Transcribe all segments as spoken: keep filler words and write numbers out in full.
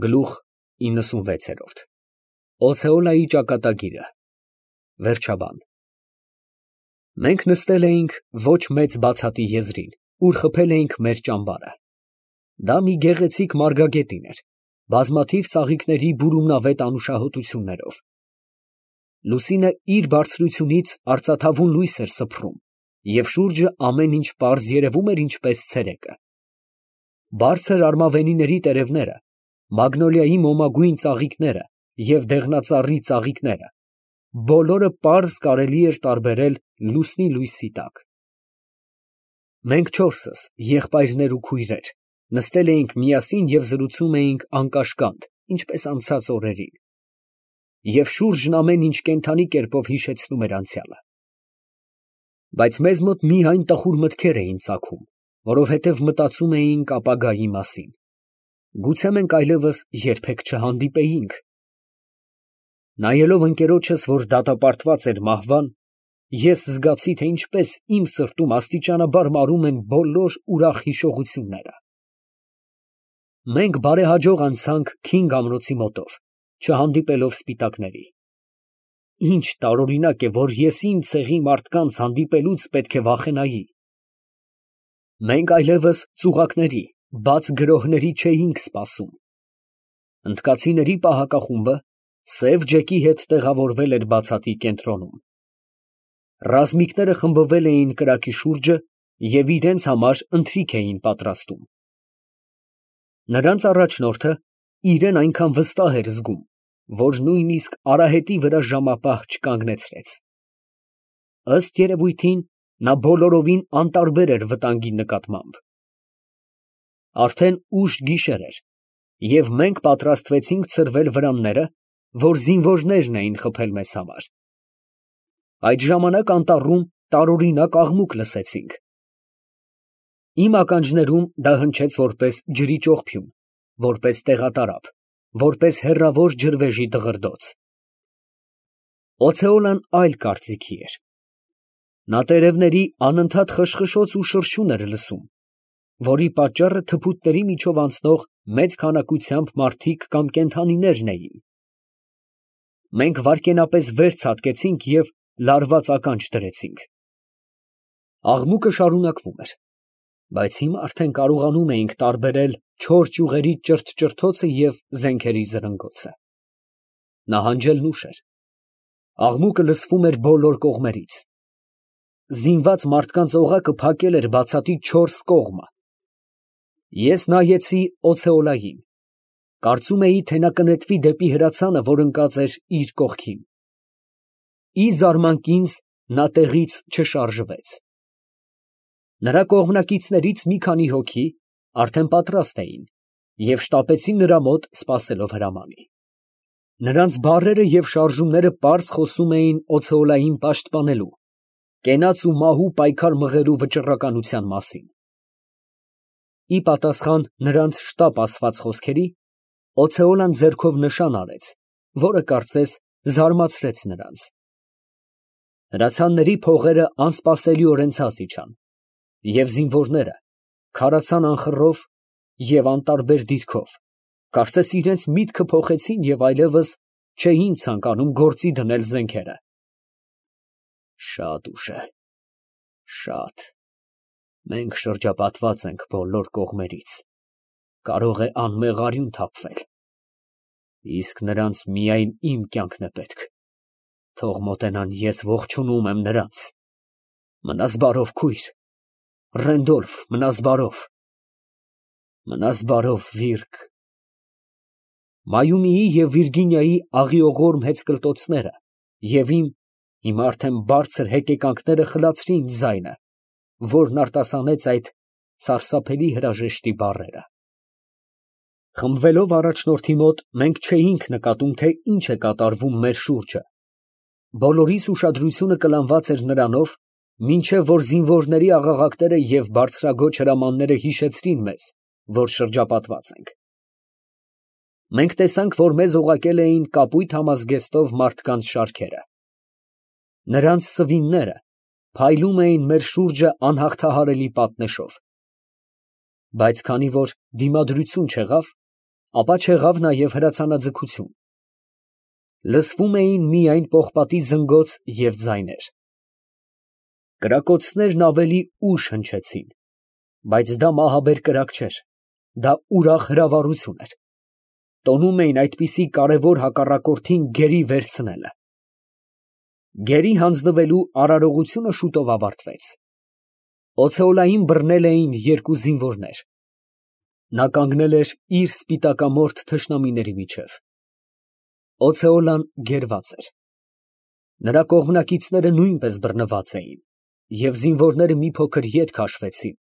Գլուխ իննսունվեց։ Օցեոլայի ճակատագիրը, վերջաբան։ Մենք նստել էինք ոչ մեծ բացատի եզրին, ուր խփել էինք մեր ճամբարը։ Դա մի գեղեցիկ մարգագետին էր, բազմաթիվ ծաղիկների բուրումնավետ անուշահոտություններով։ Լուսինը իր բարձրությունից արծաթավուն լույս էր սփռում, և շուրջը ամեն ինչ պարզ երևում էր ինչպես ցերեկը։ Բարձր արմավենիների տերևները, մագնոլիայի մոմագույն ծաղիկները և դեղնածառի ծաղիկները, բոլորը պարզ կարելի էր տարբերել լուսնի լույսի տակ։ Մենք չորսս, եղբայրներ ու քույրեր, նստել էինք միասին և զրուցում էինք անկաշկանդ, ինչպես անցած օրերին, և շուրջն ամեն ինչ կենդանի կերպով հիշեցնում էր անցյալը։ Բայց մեզ մոտ միայն տխուր մտքեր էին ծագում, որովհետև մտածում էինք ապագայի մասին. գուցե մենք այլևս երբեք չհանդիպեինք։ Նայելով ընկերոջս, որ դատապարտված էր մահվան, ես զգացի, թե ինչպես իմ սրտում աստիճանաբար մարում են բոլոր ուրախ հիշողությունները։ Մենք բարեհաջող անցանք Քինգ ամրոցի մոտով, չհանդիպելով սպիտակների։ Ինչ տարօրինակ է, որ ես իմ ցեղի մարդկանց հանդիպելուց պետք է վախենայի։ Մենք այլևս ծուղակների, բաց գրոհների չէինք սպասում։ Հնդկացիների պահակախումբը սև ջեկի հետ տեղավորվել էր բացատի կենտրոնում։ Ռազմիկները խմբվել էին կրակի շուրջը և իրենց համար ընթրիք էին պատրաստում։ Նրանց առաջնորդը իրեն այնքան վստահ էր զգում, որ նույնիսկ արահետի վրա ժամապահ չկանգնեցրեց։ Ըստ երևույթին, նա բոլորովին անտարբեր էր վտանգի նկատմամբ։ Արդեն ուշ գիշեր էր, և մենք պատրաստվեցինք ցրվել վրանները, որ զինվորներն էին խփել մեզ համար։ Այդ ժամանակ անտառում տարօրինակ աղմուկ լսեցինք։ Իմ ականջներում դա հնչեց որպես ջրի ճողփյուն, որպես տեղատարափ, որպես հեռավոր ջրվեժի դղրդոց։ Օցեոլան այլ կարծիքի էր։ Նա տերևների անընդհատ խշխշոց ու շրշյուն էր լսում, որի պատճառը թփուտների միջով անցնող մեծ քանակությամբ մարդիկ կամ կենդանիներն էին։ Մենք վայրկենապես վեր ցատկեցինք և լարված ականջ դրեցինք։ Աղմուկը շարունակվում էր, բայց հիմա արդեն կարողանում էինք տարբերել չոր ճյուղերի ճրթճրթոցը և զենքերի զրնգոցը։ Նահանջելն ուշ էր։ Աղմուկը լսվում էր բոլոր կողմերից։ Զինված մարդկանց օղակը փակել էր բացատի չորս կողմը։ Ես նայեցի Օցեոլային, կարծում էի, թե նա կնետվի դեպի հրացանը, որ ընկած էր իր կողքին։ Ի զարմանք ինձ, նա տեղից չշարժվեց։ Նրա կողմնակիցներից մի քանի հոգի արդեն պատրաստ էին և շտապեցին նրա մոտ, սպասելով հրամանի։ Նրանց բառերը և շարժումները պարզ խոսում էին Օցեոլային պաշտպանելու, կենաց ու մահու պայքար մղելու վճռականության մասին։ Ի պատասխան նրանց շտապ ասված խոսքերի, Օցեոլան ձեռքով նշան արեց, որը կարծես զարմացրեց նրանց։ Հրացանների փողերը անսպասելիորեն ցած իջան, և զինվորները քարացան անխռով և անտարբեր դիրքով, կարծես իրենց միտքը փոխեցին և այլևս չէին ցանկանում գործի դնել զենքերը։ Շատ ուշ է, շատ, մենք շրջապատված ենք բոլոր կողմերից, կարող է անմեղ արյուն թափվել, իսկ նրանց միայն իմ կյանքն է պետք, թող մոտենան, ես ողջունում եմ նրանց, մնաս բարով քույր, Ռենդոլֆ, մնաս բարով, մնաս բարով Վիրգ։ Մայումիի և Վիրգինիայի աղիողորմ հեծկլտոցները և իմ հիմա արդեն բարձր հեկեկանքները խլացրին ձայնը, որն արտասանեց այդ սարսափելի հրաժեշտի բառերը։ Խմբվելով առաջնորդի մոտ, մենք չէինք նկատում, թե ինչ է կատարվում մեր շուրջը։ Բոլորիս ուշադրությունը կլանված էր նրանով, մինչև որ զինվորների աղաղակները և բարձրաձոչ հրամանները հիշեցրին մեզ, որ շրջապատված ենք։ Մենք տեսանք, որ մեզ օղակել էին կապույտ համազգեստով մարդկանց շարքերը։ Նրանց սվինները փայլում էին մեր շուրջը անհաղթահարելի պատնեշով։ Բայց քանի որ դիմադրություն չեղավ, ապա չեղավ նաև հրացանաձգություն. լսվում էին միայն պողպատի զնգոց և ձայներ։ Կրակոցներն ավելի ուշ հնչեցին, բայց դա մահաբեր կրակ չէր, դա ուրախ հրավառություն էր, տոնում էին այդպիսի կարևոր հակառակորդին գերի վերցնելը։ Գերի հանձնվելու արարողությունը շուտով ավարտվեց։ Օցեոլային բռնել էին երկու զինվորներ։ Նա կանգնել էր իր սպիտակամորթ թշնամիների միջև։ Օցեոլան գերված էր։ Նրա կողմնակիցները նույնպես բռնված էին, և զինվորները մի փոքր ետ քաշվեցին,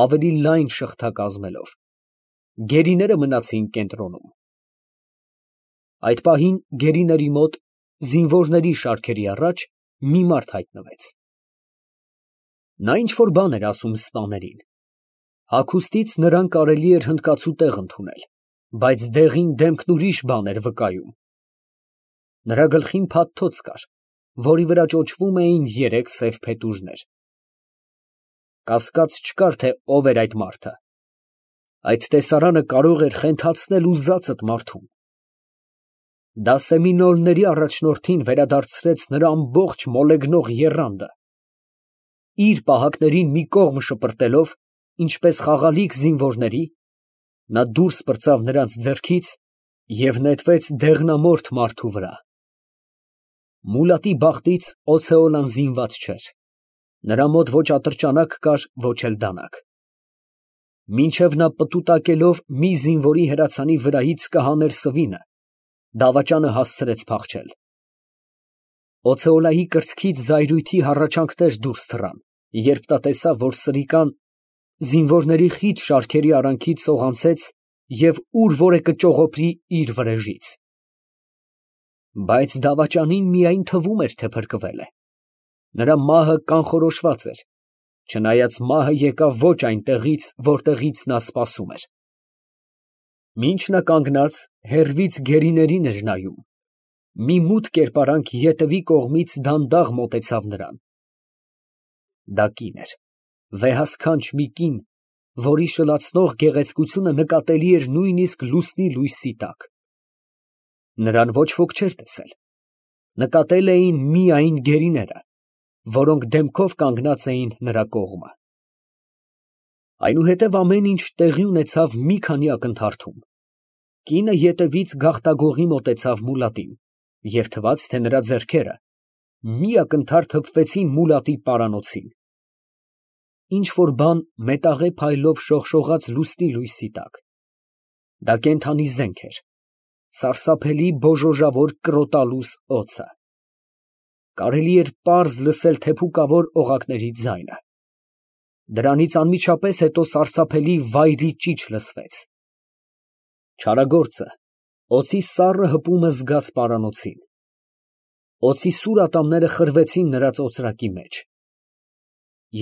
ավելի լայն շղթա կազմելով։ Գերիները մնացին կենտրոնում։ Այդ պահին գերիների մոտ, զինվորների շարքերի առաջ, մի մարդ հայտնվեց։ Նա ինչ֊որ բան էր ասում սպաներին։ Հագուստից նրան կարելի էր հնդկացու տեղ ընդունել, բայց դեղին դեմքն ուրիշ բան էր վկայում։ Նրա գլխին փաթթոց կար, որի վրա ճոճվում էին երեք սև փետուրներ։ Կասկած չկար, թե ով էր այդ մարդը։ Այդ տեսարանը կարող էր խենթացնել ուզածդ մարդուն։ Դա սեմինոլների առաջնորդին վերադարձրեց նրա ամբողջ մոլեգնող եռանդը։ Իր պահակներին մի կողմ շպրտելով, ինչպես խաղալիք զինվորների, նա դուրս պրծավ նրանց ձեռքից և նետվեց դեղնամորթ մարդու վրա։ Մուլատի բախտից Օցեոլան զինված չէր։ Նրա մոտ ոչ ատրճանակ կար, ոչ էլ դանակ։ Մինչև նա պտուտակելով մի զինվորի հրացանի վրայից կհաներ սվինը, դավաճանը հասցրեց փախչել։ Օցեոլայի կրծքից զայրույթի հառաչանքներ դուրս թռան, երբ նա տեսավ, որ սրիկան զինվորների խիտ շարքերի արանքից սողանցեց և ուր որ է կճողոպրի իր վրեժից։ Բայց դավաճանին միայն թվում էր, թե փրկվել է։ Նրա մահը կանխորոշված էր, չնայած մահը եկավ ոչ այնտեղից, որտեղից նա սպասում էր։ Մինչ նա կանգնած, հեռվից գերիներին էր նայում, մի մութ կերպարանք ետևի կողմից դանդաղ մոտեցավ նրան։ Դա կին էր, վեհասքանչ մի կին, որի շլացնող գեղեցկությունը նկատելի էր նույնիսկ լուսնի լույսի տակ։ Նրան ոչ ոք չէր տեսել։ Նկատել էին միայն գերիները, որոնք դեմքով կանգնած էին նրա կողմը։ Այնուհետև ամեն ինչ տեղի ունեցավ մի քանի ակնթարթում։ Կինը ետևից գաղտագողի մոտեցավ մուլատին, և թվաց, թե նրա ձեռքերը մի ակնթարթ հպվեցին մուլատի պարանոցին։ Ինչ֊որ բան մետաղե փայլով շողշողաց լուսնի լույսի տակ։ Դա կենդանի զենք էր, սարսափելի բոժոժավոր կրոտալուս օձը։ Կարելի էր պարզ լսել թեփուկավոր օղակների ձայնը։ Դրանից անմիջապես հետո սարսափելի վայրի ճիչ լսվեց։ Չարագործը օձի սառը հպումը զգաց պարանոցին։ Օձի սուր ատամները խրվեցին նրա ծոծրակի մեջ։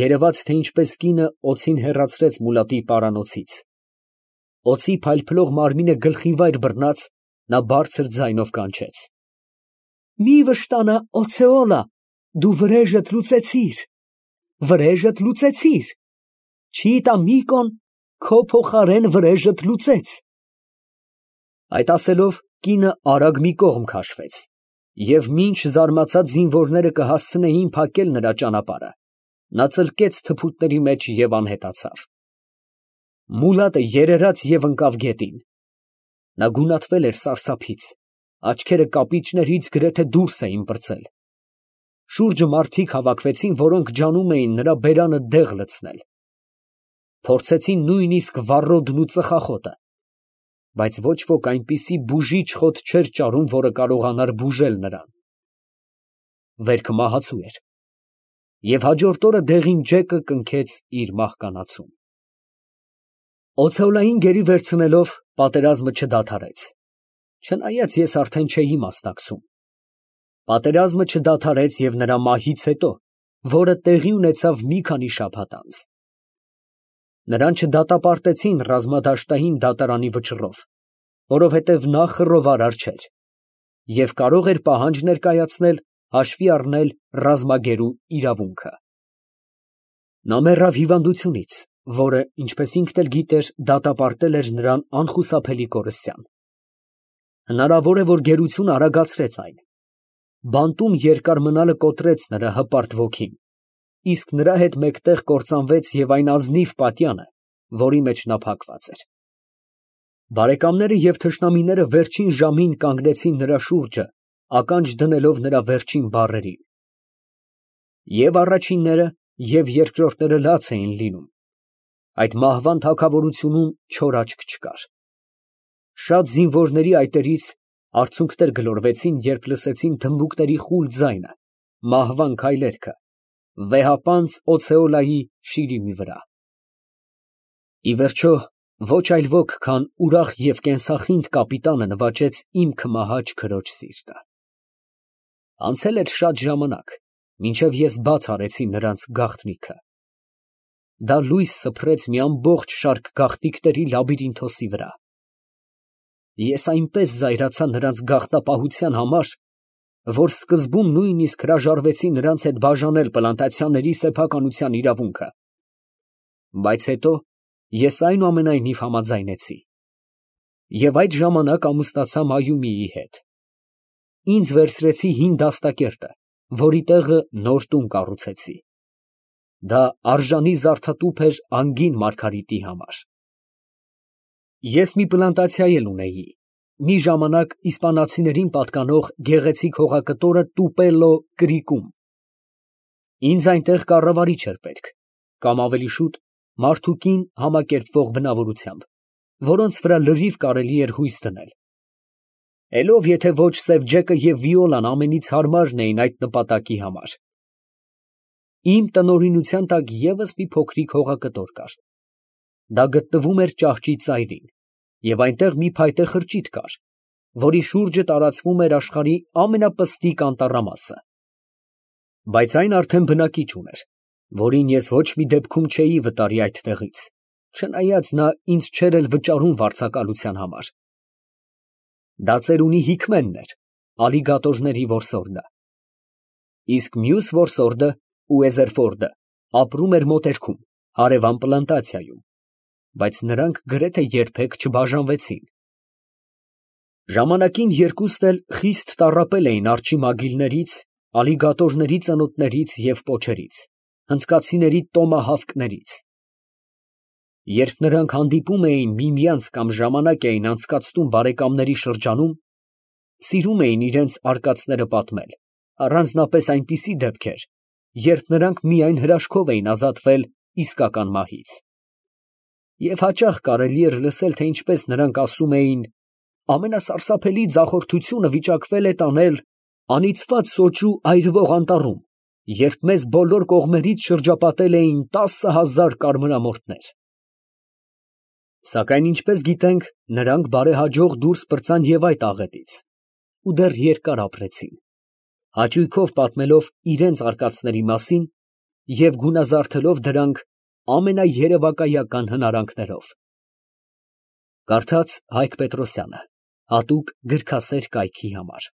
Երևաց, թե ինչպես կինը օձին հեռացրեց մուլատի պարանոցից։ Օձի փայլփլող մարմինը գլխիվայր բռնած, նա բարձր ձայնով կանչեց. «Մի վշտանա, Օցեոլա, դու վրեժդ լուծեցիր, վրեժդ լուծեցիր, Չիտամիկոն քո փոխարեն վրեժդ լուծեց»։ Այդ ասելով, կինը արագ մի կողմ քաշվեց, և մինչ զարմացած զինվորները կհասցնեին փակել նրա ճանապարհը, նա ծլկեց թփուտների մեջ և անհետացավ։ Մուլատը երերաց և ընկավ գետին։ Նա գունատվել էր սարսափից, աչքերը կապիճներից գրեթե դուրս էին պրծել։ Շուրջը մարդիկ հավաքվեցին, որոնք ջանում էին նրա բերանը դեղ լցնել։ Փորձեցին նույնիսկ վառոդն ու ծխախոտը, բայց ոչ ոք այնպիսի բուժիչ խոտ չէր ճարում, որը կարողանար բուժել նրան։ Վերքը մահացու էր, և հաջորդ օրը դեղին ջեկը կնքեց իր մահկանացուն։ Օցեոլային գերի վերցնելով, պատերազմը չդադարեց, չնայած ես արդեն չէի մասնակցում։ Պատերազմը չդադարեց և նրա մահից հետո, որը տեղի ունեցավ մի քանի շաբաթ անց։ Նրան չդատապարտեցին ռազմադաշտային դատարանի վճռով, որովհետև նա խռովարար չէր և կարող էր պահանջ ներկայացնել հաշվի առնել ռազմագերու իրավունքը։ Նա մեռավ հիվանդությունից, որը, ինչպես ինքն էլ գիտեր, դատապարտել էր նրան անխուսափելի կորստյան։ Հնարավոր է, որ գերությունը արագացրեց այն։ Բանտում երկար մնալը կոտրեց նրա հպարտ ոգին, իսկ նրա հետ մեկտեղ կործանվեց և այն ազնիվ պատյանը, որի մեջ նա փակված էր։ Բարեկամները և թշնամիները վերջին ժամին կանգնեցին նրա շուրջը, ականջ դնելով նրա վերջին բառերին։ Եվ առաջինները, և երկրորդները լաց էին լինում. այդ մահվան թագավորությունում չոր աչք չկար։ Շատ զինվորների այտերից արցունքներ գլորվեցին, երբ լսեցին թմբուկների խուլ ձայնը, մահվան քայլերքը, վեհապանծ Օցեոլայի շիրիմի վրա։ Ի վերջո, ոչ այլ ոք, քան ուրախ և կենսախինդ կապիտանը նվաճեց իմ քմահաճ քրոջ սիրտը։ Անցել էր շատ ժամանակ, մինչև ես բաց արեցի նրանց գաղտնիքը։ Դա լույս սփռեց մի ամբողջ շարք գաղտնիքների լաբիրինթոսի վրա։ Ես այնպես զայրացա նրանց գաղտնապահության համար, որ սկզբում նույնիսկ հրաժարվեցի նրանց հետ բաժանել պլանտացիաների սեփականության իրավունքը, բայց հետո ես այնուամենայնիվ համաձայնեցի և այդ ժամանակ ամուսնացա Մայումիի հետ։ Ինձ վերցրեցի հին դաստակերտը, որի տեղը նոր տուն կառուցեցի։ Դա արժանի զարդատուփ էր անգին Մարգարիտի համար։ Ես մի պլանտացիա էլ ունեի, մի ժամանակ իսպանացիներին պատկանող գեղեցիկ հողակտորը Տուպելո Կրիկում։ Ինձ այնտեղ կառավարիչ էր պետք, կամ ավելի շուտ մարդուկին համակերպվող բնավորությամբ, որոնց վրա լրիվ կարելի էր հույս դնել։ Էլ ով եթե ոչ Սևջեկը և Վիոլան ամենից հարմարն էին այդ նպատակի համար։ Իմ տնօրինության տակ ևս մի փոքրիկ հողակտոր կար։ Դա գտնվում էր ճահճի ծայրին, և այնտեղ մի փայտե խրճիթ կար, որի շուրջը տարածվում էր աշխարհի ամենապստիկ անտառամասը։ Բայց այն արդեն բնակիչ ուներ, որին ես ոչ մի դեպքում չէի վտարի այդ տեղից, չնայած նա ինձ չէր էլ վճարում վարձակալության համար։ Դա ծերունի Հիկմենն էր, ալիգատորների որսորդը։ Իսկ մյուս որսորդը՝ Ուեզերֆորդը, ապրում էր մոտերքում, հարևան պլանտացիայում, բայց նրանք գրեթե երբեք չբաժանվեցին։ Ժամանակին երկուստ էլ խիստ տառապել էին արջի մագիլներից, ալիգատորների ծնոտներից և պոչերից, հնդկացիների տոմահավկներից։ Երբ նրանք հանդիպում էին միմյանց կամ ժամանակ էին անցկացնում բարեկամների շրջանում, սիրում էին իրենց արկածները պատմել, առանձնապես այնպիսի դեպքեր, երբ նրանք միայն հրաշքով էին ազատվել իսկական մահից։ Եվ հաճախ կարելի էր լսել, թե ինչպես նրանք ասում էին. «Ամենասարսափելի ձախորդությունը վիճակվել է տանել անիծված սոճու այրվող անտառում, երբ մեզ բոլոր կողմերից շրջապատել էին տասը հազար կարմրամորթներ»։ Սակայն, ինչպես գիտենք, նրանք բարեհաջող դուրս պրծան և այդ աղետից ու դեռ երկար ապրեցին, հաճույքով պատմելով իրենց արկածների մասին և գունազարդելով դրանք ամենաերևակայական հնարանքներով։ Կարդաց Հայկ Պետրոսյանը, հատուկ գրքասեր կայքի համար։